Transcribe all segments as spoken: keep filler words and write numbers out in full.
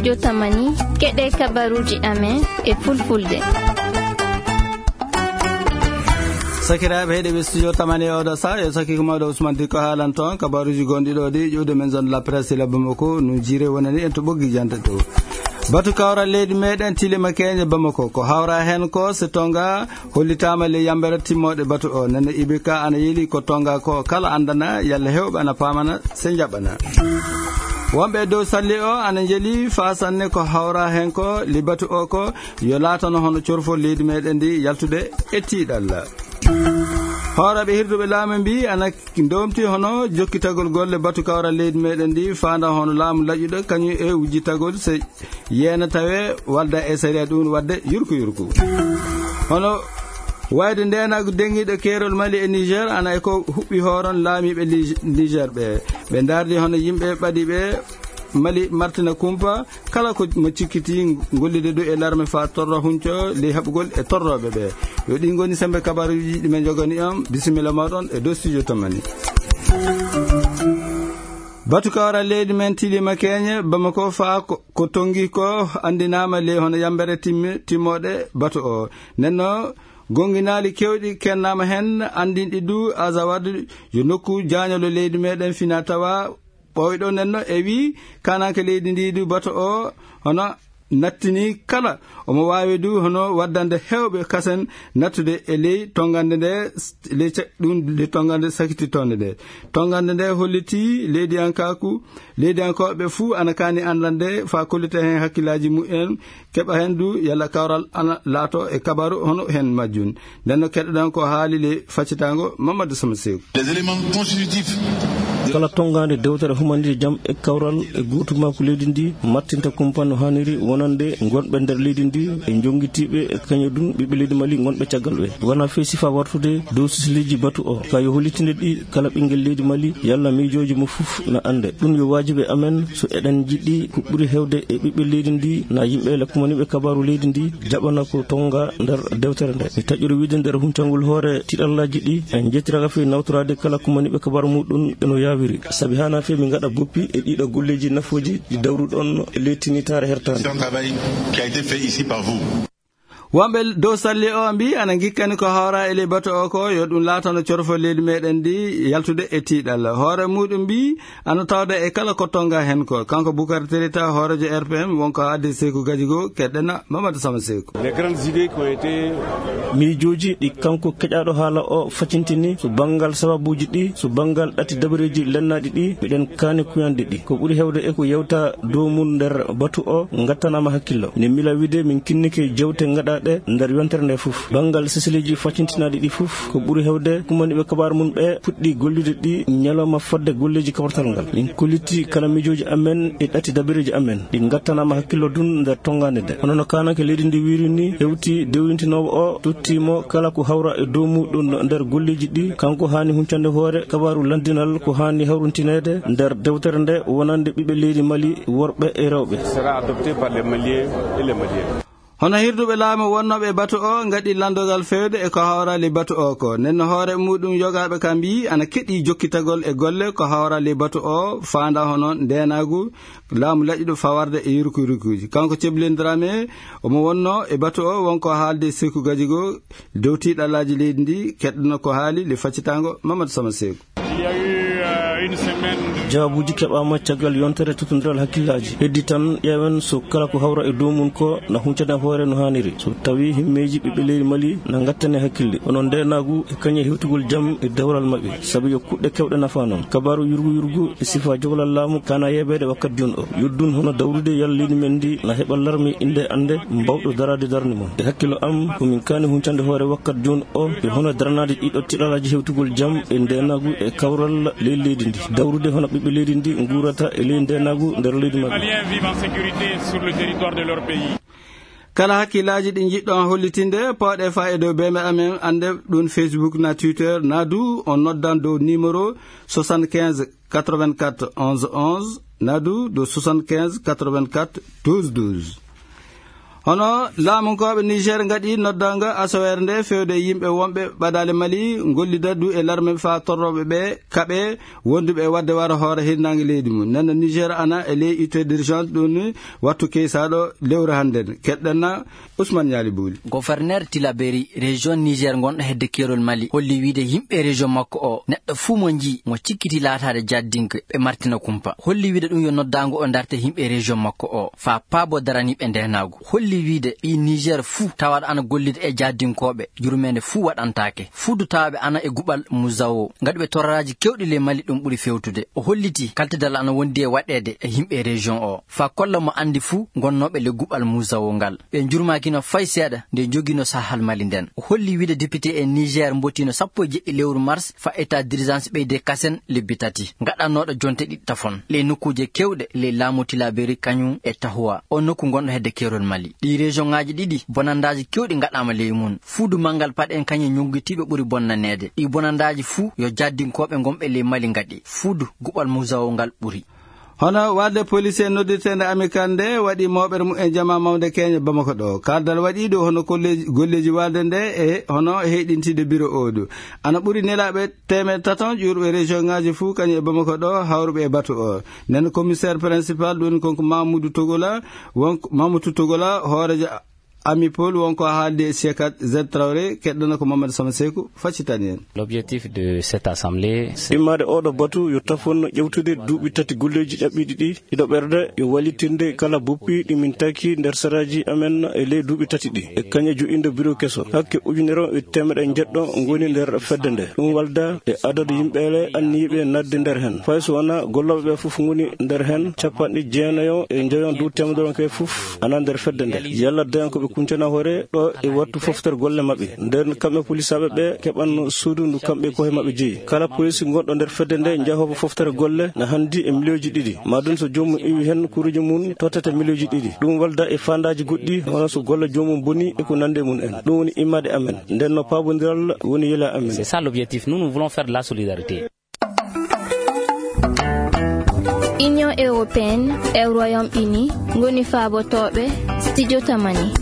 Jotamani, keɗe kabaruuji amen e fulfulde. Sakiraaɓe heɗeɓe studio tamani e oɗo sa, yo sakiko mawɗo Ousmane Diko haalan toon kabaruuji gonɗi ɗo ɗi ƴuwde men zone de la presse la Bamako, no jiire wonani en to ɓoggi jante to. Batu kawral leydi meɗen tilima keñe Bamako, ko hawra hen ko se tonga hollitama le yambere timmoɗe batu o. Nene I B K ana yeli ko tonga ko kala andana yalla hewɓe ana pamana se jaɓana. Wonɓe dow salli o ana jeli fasanne ko hawra hen ko li batu o ko yo laatano hono corfo leydi meɗen ndi yaltude e tiɗalla. Hooreɓe hirduɓe laamu mbi ana ndomti hono jokkitagol golle batu kawral leydi meɗen ndi fanda hono laamu laƴƴuɗo kañum e wujjitagol se yeena tawe walda e sariya ɗum wadde yurku yurku. Hono wayde ndenagu dengiɗo keerol Mali e Niger ana e ko huɓɓi hooron laamiɓe Li-, Niger ɓe. Ɓe dardi hono yimɓe ɓaɗiɓe Mali martina kumpa kala ko mo cikkiti gollude ɗo e larme fa torro hunco ley haɓugol e torroɓe ɓe. Yo ɗi goni sembe kabaruji ɗi men jogani on. Bisimilla moɗon e dow studio tamani. Batu kawra leydi men tilima keñe Bamako fa ko, ko tongi ko andinama ley hono yambere timmi, timmoɗe batu o. Nenno gonginali kewɗi kennama hen andinɗi du Azawad yo nokku jañolo leydi meɗen fina tawa ɓoyɗo nenno e wi kananke leydi ndi du batu o hono nattini kala omo wawi du hono waddande hewɓe kasen nattude e ley tongande nde, ley ca-, ɗum ley tongande sakititonde nde. Tongande nde holliti leydiyankaku, leydiyankoɓe fuu ana kani andande fa kollita hen hakkillaji mumen, keɓa hen du yalla kawral ana laato e kabaru hono hen majjun. Nden no keɗoɗen ko haali le faccitango Mamadou Sama Seeku. Les éléments constitutifs. Kala tongande dewtere humandir jam e kawral e guutumaku leydi ndi mattinta kumpa no haniri wonande gonɓe nder leydi ndi e jongitiɓe e kañum ɗum ɓiɓɓe leydi Mali gonɓe caggal ɓe. Wona fey sifa wartude dow sisleji batu o. Ka yo hollitinde ɗi kala ɓinguel leydi Mali yalla miijoji mo fuf na ande. Ɗum yo wajibe amen so eɗen jiɗi ko ɓuri hewde e ɓiɓɓe leydi ndi na yimɓe le kumaniɓe kabaru leydi ndi jaɓana ko tonga nder dewtere nde. Mi taƴƴori wiide nder huncangol hoore tiɗallaji ɗi en jettiraka fey nawtorade kala kumaniɓe kabaru muɗum eno yawiri. Sabi hana fey min gaɗa boppi e ɗiɗo golleji nafoji ɗi dawruɗon e leytinitare hertande. C'est un travail qui a été fait ici par vous. Wonɓe dow salli o mbi ana gikkani ko hawra e ley bato o ko yo ɗum laatano corfo leydi meɗen ndi yaltude e tiiɗal. Hoore muɗum mbi ana tawda e kala ko tonga hen ko. Kanko Bukar Terita, hoorejo R P M, wonko haalde Seeku Gajigo, keɗɗena Mamadou Sama Seeku. Les grandes idées qui ont été miijooji ɗi kanko keƴaaɗo haala o facintini, so banngal sababuuji ɗi, so banngal ɗati dabareeji lennaaɗi ɗi, miɗen kaani kuyanɗe ɗi. Ko ɓuri heewde e ko yewta dow mum nder batu o ngattanaama hakkillo. Ne mila wiide min kinnike jewte ngaɗaaɗe nder yontere nde fof. Banngal seseleeji facintinaaɗi ɗi fof, ko ɓuri heewde kumaniiɓe kabaar mum ɓe puɗɗi gollude ɗi ñalawma fodde golleeji kawtal ngal. Min kolliti kala miijooji amen e ɗati dabareeji amen. Ɗi ngattanaama hakkillo dun nder tongaande nde. Hono no kaananke leydi ndi wiiri ni, hewti dewintinoowo o, totti mo kala ko hawra e dow muɗum nder golleeji ɗi. Kanko haani huncande hoore kabaaru lanndinal ko haani hawrintineede nder dewtere nde wonande ɓiɓɓe leydi Mali worɓe e rewɓe. Sera adopté par les Maliens et les Maliennes. Hono hirduɓe laamu wonnooɓe e batu o ngaɗi lanndogal feewde e ko hawrali batu o ko. Nden no hoore muɗum yogaaɓe ka mbiyi ana keɗi jokkitagol e golle ko hawrali batu o faanda hono ndeenaagu laamu laƴƴuɗo fawarde e yurkuyurkuuji. Kanko Ceblin Dramé omo wonno e batu o wonko haalde Seeku Gajigo dow tiiɗalaaji leydi ndi keɗɗono ko haali le faccitaango Mamadou Sama Seeku. Il y a eu, euh, une semaine de jawaabuuji keɓaama caggal yontere tottondiral hakkillaaji. Heddi tan ƴeewen so kala ko hawra e dow mum ko na huncane hoore no haaniri. So tawi himmeeji ɓiɓɓe leydi Mali na ngattane hakkille. Hono ndeenaagu e kañe hewtugol jam e dewral maɓɓe. Sabi yo kuɗɗe kewɗe nafa noon. Kabaaru yurgu yurgu e sifa jogalal laamu kana yeebeede wakkat jun o. Yoddun hono dawrude yalla leydi men ndi na heɓa larmi innde annde mbawɗo daraade darnde mum. E hakkillo am, ko min kaani huncande hoore wakkat jun o, e hono daranaade ɗiɗo tiɗalaaji hewtugol jam e ndeenaagu e kawral ley leydi ndi. Dawrude hono ɓiɓɓe leydi ndi nguurata e ley ndeenaagu nder leydi maɓɓe. Maliens vivent en sécurité sur le territoire de leur pays. Kala hakkillaaji ɗi njiɗɗon hollitinde, pawɗe fa e dow beme amen, annde ɗum Facebook na Twitter, na du on noddan dow numéro soixante-quinze quatre-vingt-quatre onze onze, na du dow soixante-quinze quatre-vingt-quatre douze douze. Hono laamunkooɓe Niger ngaɗi noddaango asaweere nde fewde e yimɓe wonɓe ɓadaale Mali, ngollida du e larme faa torrooɓe ɓe kaɓe wonduɓe e waɗde wara hoore hirnaange leydi mum. Nana Niger ana e ley ite d'urgence ɗum ni wattu keysaaɗo lewru hannden. Keɗɗen na Ousmane Ñaali Buuli. Gouverneur Tilaberi, région Niger ngonɗo hedde keerol Mali, holli wiide yimɓe région makko o, neɗɗo fuu mo njii mo cikkiti laataade jaddinke, ɓe martina kumpa. Holli wiide ɗum yo noddaango o ndarte yimɓe région makko o, faa paabo daraniiɓe ndeenaagu. Holli wiide ɓii Niger fuu tawaaɗo ana gollida e jaddinkooɓe, yurmeende fuu waɗantaake. Fuudu tawaaɓe ana e guɓal Muzawo, ngaɗuɓe torraaji keewɗi ley Mali ɗum ɓuri fewtude. O holliti kaltidal ana wondi e waɗeede e yimɓe région o, faa kolla mo anndi fuu gonnooɓe ley guɓal Muzawo ngal. Ɓe njurmaakino fay seeɗa nde njogino sahal Mali nden. O holli wiide député e Niger mbottino sappo e jeɗɗi lewru mars faa état d'urgence ɓeyde kasen lebbi tati, gaɗanooɗo jonte ɗiɗi tafon ley nokkuuje keewɗe ley laamu Tilaberi kañum e Tahoua, o nokku ngonɗo hedde keerol Mali. Ɗii région ŋaaji ɗiɗi bonandaaji keewɗi ngaɗaama ley mum. Fuudu manngal paɗe en kañum ñunngitiiɓe ɓuri bonnaneede. Ɗii bonandaaji fuu yo jaddinkooɓe ngonɓe ley Mali ngaɗi. Fuudu guɓal Muzawo ngal ɓuri. Hono waalde police noddirteende Amicale nde waɗi mooɓere mum e jama mawnde keñe Bamako ɗo. Kaldal waɗi ɗo hono kolleeji, golleeji waalde nde e hono heyɗintide biro o ɗo. Ana ɓuri nelaaɓe teemeɗɗe taton ƴuurɓe région ŋaaji fuu kañum e Bamako ɗo hawruɓe e batu o. Nden commissaire principal ɗum woni konko Mamoudou Togola, won Mamoudou Togola, hooreejo Ami Paul wonko haaldi e Sekat Z Traoré, keɗɗana ko Mamadou Sama Seku, faccitani en. L'objectif de cette assemblée, c'est immaade oɗo batu yo tafon ƴewtude duuɓi tati golleeji ƴaɓɓiiɗi ɗi, iɗo ɓerda yo wallitinde kala buppi ɗi min taki nder saraaji amen e ley duuɓi tati ɗi. E kañe jo'inde biro keso. Hakke ujunere e teemeɗe njeɗɗo ngoni nder fedde nde. Ɗum walda e adadu yimɓeele anniyiiɓe nadde nder hen. Fay so wona gollooɓe ɓe fof ngoni nder hen, capanɗe jeenayo e njoyon dow teemedere on kay fof ana nder fedde nde. Yalla dayan ko ɓe kuncana hoore ɗo e wattu foftere golle maɓɓe. Nden kamɓe polisaaɓe ɓe keɓan suudu ndu kamɓe koye maɓɓe jeyi. Kala polisi gonɗo nder fedde nde njahoowo foftere golle na handi e miliyooji ɗiɗi. Maa ɗum so joomum iwi hen kuruuje mum tottete miliyooji ɗiɗi. Ɗum walda e faandaaji goɗɗi, hono so golle joomum boni e ko nandi e mum en. Ɗum woni immade amen. Nden no paabondiral woni yela amen. C'est ça l'objectif. Nous, nous voulons faire de la solidarité. Union européenne e Royaume-Uni ngoni faabotooɓe studio Tamani.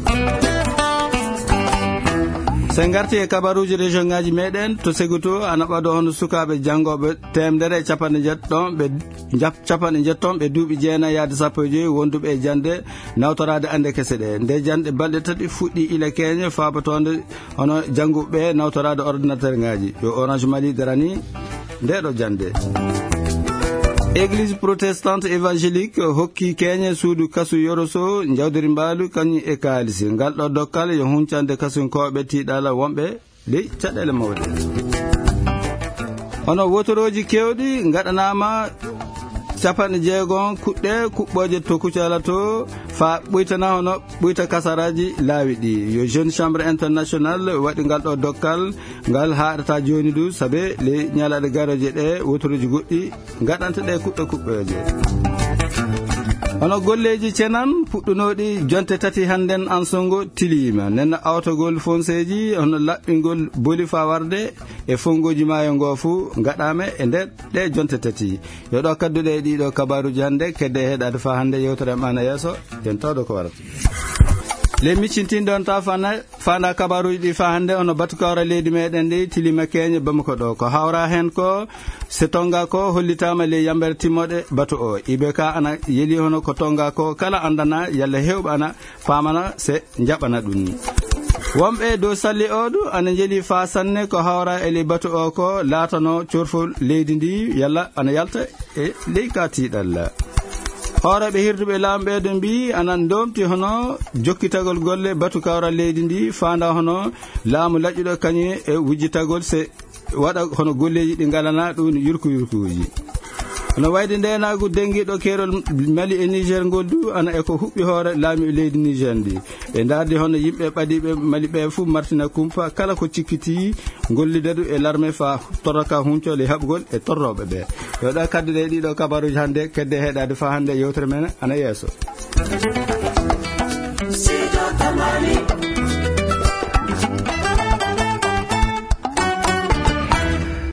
So en ngarti e kabaruuji région ŋaaji meɗen, to Segutu ana ɓado hono sukaaɓe janngooɓe teemedere e capanɗe njeɗɗo ɓe jap-, capanɗe njeɗɗo ɓe duuɓi jeenayi yaade sappo e joyi wonduɓe e jannde nawtoraade annde kese ɗe. Nde jannde balɗe tati fuɗɗi ila keñe faabotoonde hono jannguɓe ɓe nawtoraade ordinateur ŋaaji. Yo Orange Mali darani nde ɗo jannde. Église protestante évangélique hokki keñe suudu kasu Yoroso, Njawdiri Mbaalu, kañum e kaalisi. Ngal ɗo dokkal yo huncande kasunkooɓe tiiɗala wonɓe ley caɗeele mawɗe. Hono wotorooji keewɗi ngaɗanaama capanɗe jeegom kuɗɗe kuɓɓooje to Kucala to faa ɓuytana hono ɓuyta kasaraaji laawi ɗi. Yo Jeune Chambre International waɗi ngal ɗo dokkal, ngal haaɗata jooni du, sabe ley ñalaaɗe garooje ɗe wotorooji goɗɗi ngaɗanta ɗe kuɓɓe kuɓɓeeje. Hono golleeji cenan puɗɗunooɗi jonte tati hannden Ansongo tiliima. Nenno awtogol fonseeji hono laɓɓingol boli faa warde e fongooji maayo ngo fuu ngaɗaama e nder ɗe jonte tati. Yo ɗo kadduɗe e ɗiɗo kabaaruuji hannde, kedde heɗaade faa hannde yewtere am ana yeeso, yen tawdo ko warata. Le miccintin ɗon ta fana Faanda kabaaruuji ɗi faa hannde, hono batu kawral leydi meɗen ndi tilima keñe Bamako ɗo. Ko hawra heen ko, se Tonga ko hollitaama ley yambere timmoɗe batu o. I B K ana yeli hono ko Tonga ko kala andana yalla hewɓe ana faamana se njaɓana ɗum ni. Wonɓe dow salli o ɗu ana njeli faa sanne ko hawra e ley batu o ko laatano corfol leydi ndi yalla ana yalta e ley ka tiiɗalla. Hooreeɓe hirduɓe laamu ɓeeɗo mbii ana ndoomti hono jokkitagol golle batu kawral leydi ndi faanda hono laamu laƴƴuɗo kañum e wujjitagol se waɗa hono golleeji ɗi ngalana ɗum yurku yurkuuji. Hono wayde ndeenaagu denngiiɗo keerol Mali e Niger ngol du ana e ko huɓɓi hoore laamu leydi Niger ndi. Ɓe ndaardi hono yimɓe ɓadiiɓe Mali ɓe fuu martina kumpa kala ko cikkiti gollidadu e larme faa torraka huncol e haɓugol e torrooɓe ɓe. Yo ɗa kadduɗe e ɗiɗo kabaruuji hannde, kedde heɗaade faa hannde yewtere men ana yeeso.